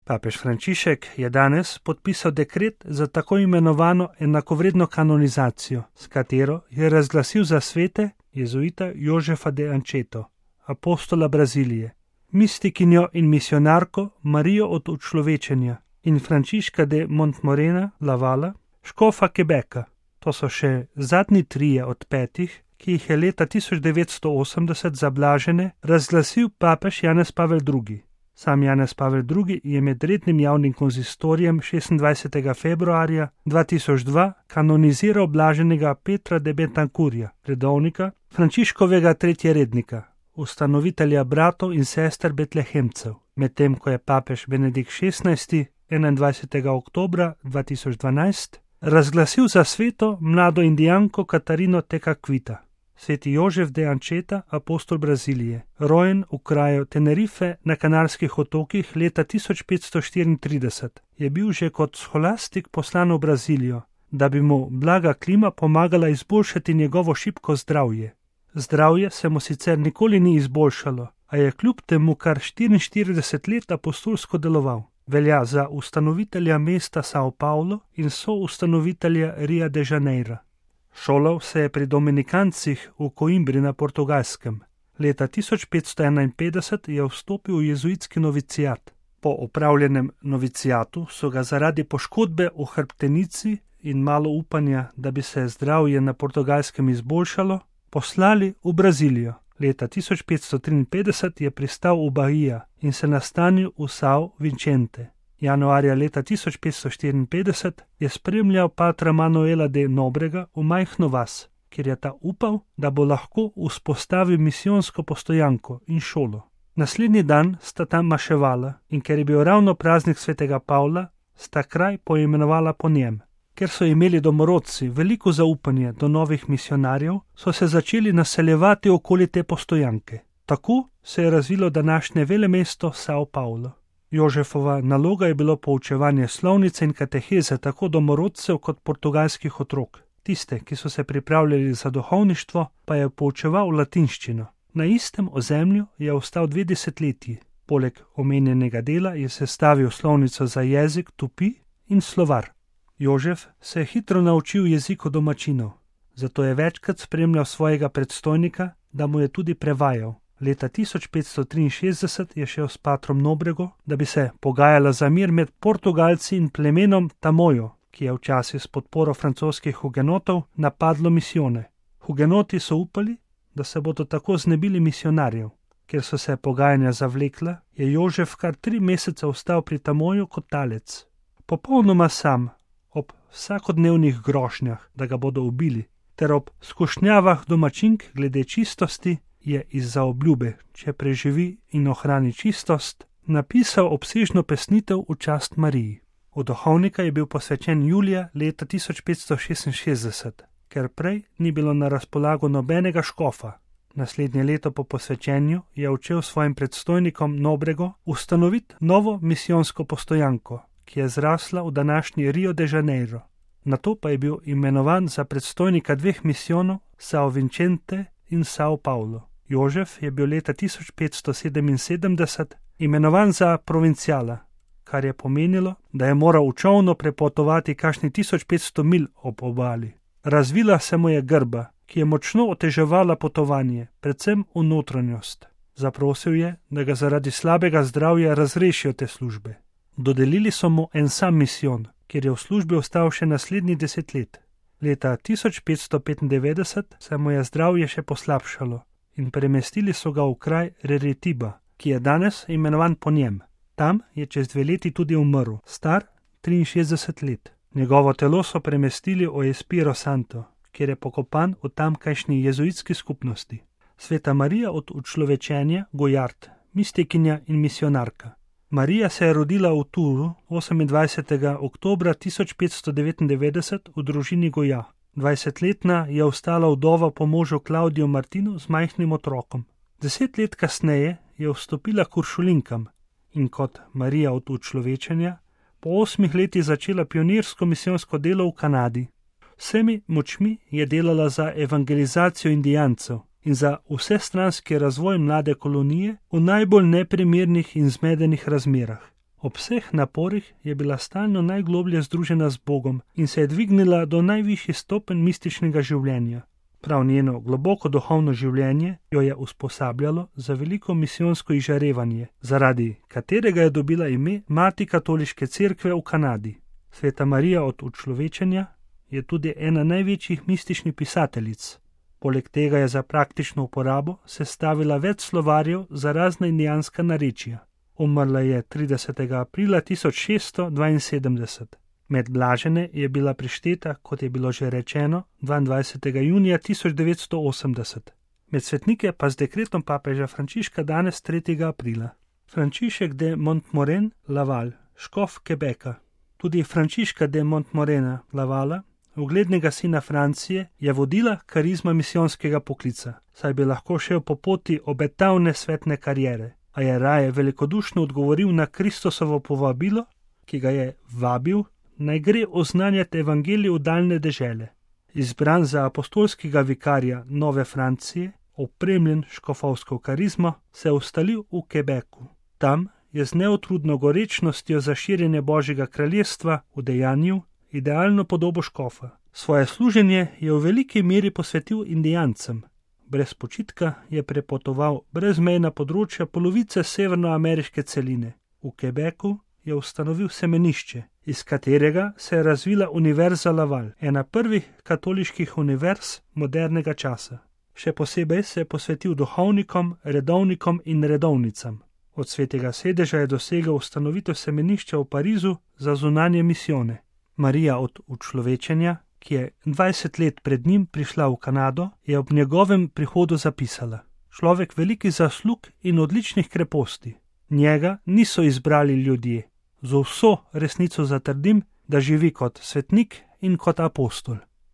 Papež Frančišek je danes podpisal dekret za tako imenovano enakovredno kanonizacijo, s katero je razglasil za svete jezuita Jožefa de Ančeto, apostola Brazilije, mistikinjo in misionarko Marijo od učlovečenja in Frančiška de Montmorena Lavala, škofa Quebeca. To so še zadnji 3 od 5, ki jih je leta 1980 za blažene razglasil papež Janez Pavel II. Sam Janez Pavel II je med rednim javnim konzistorijem 26. februarja 2002 kanoniziral blaženega Petra de Betancurja, redovnika, Frančiškovega tretjerednika, ustanovitelja bratov in sester Betlehemcev, medtem ko je papež Benedikt XVI 21. oktobra 2012 razglasil za sveto mlado indijanko Katarino Tekaquita. Sveti Jožef de Ančeta, apostol Brazilije, rojen v kraju Tenerife na Kanarskih otokih leta 1534, je bil že kot scholastik poslan v Brazilijo, da bi mu blaga klima pomagala izboljšati njegovo šibko zdravje. Zdravje se mu sicer nikoli ni izboljšalo, a je kljub temu kar 44 let apostolsko deloval. Velja za ustanovitelja mesta São Paulo in soustanovitelja Rio de Janeiro. Šolal se je pri dominikancih v Coimbri na Portugalskem. Leta 1551 je vstopil v jezuitski novicijat. Po opravljenem novicijatu so ga zaradi poškodbe v hrbtenici in malo upanja, da bi se zdravje na Portugalskem izboljšalo, poslali v Brazilijo. Leta 1553 je pristal v Bahia in se nastanil v São Vicente. Januarja leta 1554 je spremljal patra Manuela de Nobrega v majhno vas, kjer je ta upal, da bo lahko vzpostavil misijonsko postojanko in šolo. Naslednji dan sta tam maševala in ker je bil ravno praznik svetega Pavla, sta kraj poimenovala po njem. Ker so imeli domorodci veliko zaupanje do novih misionarjev, so se začeli naseljevati okoli te postojanke. Tako se je razvilo današnje velemesto São Paulo. Jožefova naloga je bilo poučevanje slovnice in kateheze tako domorodcev kot portugalskih otrok. Tiste, ki so se pripravljali za duhovništvo, pa je poučeval latinščino. Na istem ozemlju je ostal 2 desetletji. Poleg omenjenega dela je sestavil slovnico za jezik Tupi in slovar. Jožef se je hitro naučil jeziku domačinov, zato je večkrat spremljal svojega predstojnika, da mu je tudi prevajal. Leta 1563 je šel s patrom Nobrego, da bi se pogajala za mir med Portugalci in plemenom Tamojo, ki je včasih s podporo francoskih hugenotov napadlo misijone. Hugenoti so upali, da se bodo tako znebili misionarjev. Ker so se pogajanja zavlekla, je Jožef kar 3 mesece ostal pri Tamoju kot talec. Popolnoma sam, ob vsakodnevnih grožnjah, da ga bodo ubili, ter ob skušnjavah domačink glede čistosti, je izza obljube, če preživi in ohrani čistost, napisal obsežno pesnitev v čast Mariji. V duhovnika je bil posvečen julija leta 1566, ker prej ni bilo na razpolago nobenega škofa. Naslednje leto po posvečenju je učel svojim predstojnikom Nobrego ustanoviti novo misijonsko postojanko, ki je zrasla v današnji Rio de Janeiro. Nato pa je bil imenovan za predstojnika 2 misijonov, São Vicente in São Paulo. Jožef je bil leta 1577 imenovan za provinciala, kar je pomenilo, da je moral v čolnu prepotovati kakšni 1500 milj ob obali. Razvila se mu je grba, ki je močno oteževala potovanje, predvsem v notranjost. Zaprosil je, da ga zaradi slabega zdravja razrešijo te službe. Dodelili so mu en sam misijon, kjer je v službi ostal še naslednji 10 let. Leta 1595 se mu je zdravje še poslabšalo in premestili so ga v kraj Reretiba, ki je danes imenovan po njem. Tam je čez 2 leti tudi umrl, star 63 let. Njegovo telo so premestili v Espiro Santo, kjer je pokopan v tamkajšnji jezuitski skupnosti. Sveta Marija od učlovečenja Gojard, mistikinja in misionarka. Marija se je rodila v Turu 28. oktobra 1599 v družini Goja. 20-letna je ostala vdova po možu Klaudiju Martinu z majhnim otrokom. 10 let kasneje je vstopila k uršulinkam in kot Marija od učlovečenja po 8 letih začela pionirsko misijonsko delo v Kanadi. Vsemi močmi je delala za evangelizacijo indijancev in za vsestranski razvoj mlade kolonije v najbolj neprimernih in zmedenih razmerah. Ob vseh naporih je bila stalno najgloblje združena z Bogom in se je dvignila do najvišjih stopenj mističnega življenja. Prav njeno globoko duhovno življenje jo je usposabljalo za veliko misijonsko izžarevanje, zaradi katerega je dobila ime Mati katoliške cerkve v Kanadi. Sveta Marija od učlovečenja je tudi ena največjih mističnih pisateljic. Poleg tega je za praktično uporabo sestavila več slovarjev za razna indijanska narečja. Umrla je 30. aprila 1672. Med blažene je bila prišteta, kot je bilo že rečeno, 22. junija 1980. Med svetnike pa z dekretom papeža Frančiška danes 3. aprila. Frančišek de Montmoren Laval, škof Quebeca. Tudi Frančiška de Montmorena Lavala, uglednega sina Francije, je vodila karizma misijonskega poklica, saj bi lahko šel po poti obetavne svetne kariere, a je raje velikodušno odgovoril na Kristusovo povabilo, ki ga je vabil, naj gre oznanjati evangelij v daljne dežele. Izbran za apostolskega vikarja Nove Francije, opremljen škofovsko karizmo, se je ustalil v Quebecu. Tam je z neutrudno gorečnostjo za širjenje Božjega kraljestva udejanjil idealno podobo škofa. Svoje služenje je v veliki meri posvetil indijancem. Brez počitka je prepotoval brezmejna področja polovice severnoameriške celine. V Quebecu je ustanovil semenišče, iz katerega se je razvila Univerza Laval, ena prvih katoliških univerz modernega časa. Še posebej se je posvetil duhovnikom, redovnikom in redovnicam. Od svetega sedeža je dosegel ustanovitev semenišča v Parizu za zunanje misijone. Marija od učlovečenja, ki je 20 let pred njim prišla v Kanado, je ob njegovem prihodu zapisala: človek velikih zaslug in odličnih kreposti. Njega niso izbrali ljudje. Z vso resnico zatrdim, da živi kot svetnik in kot apostol.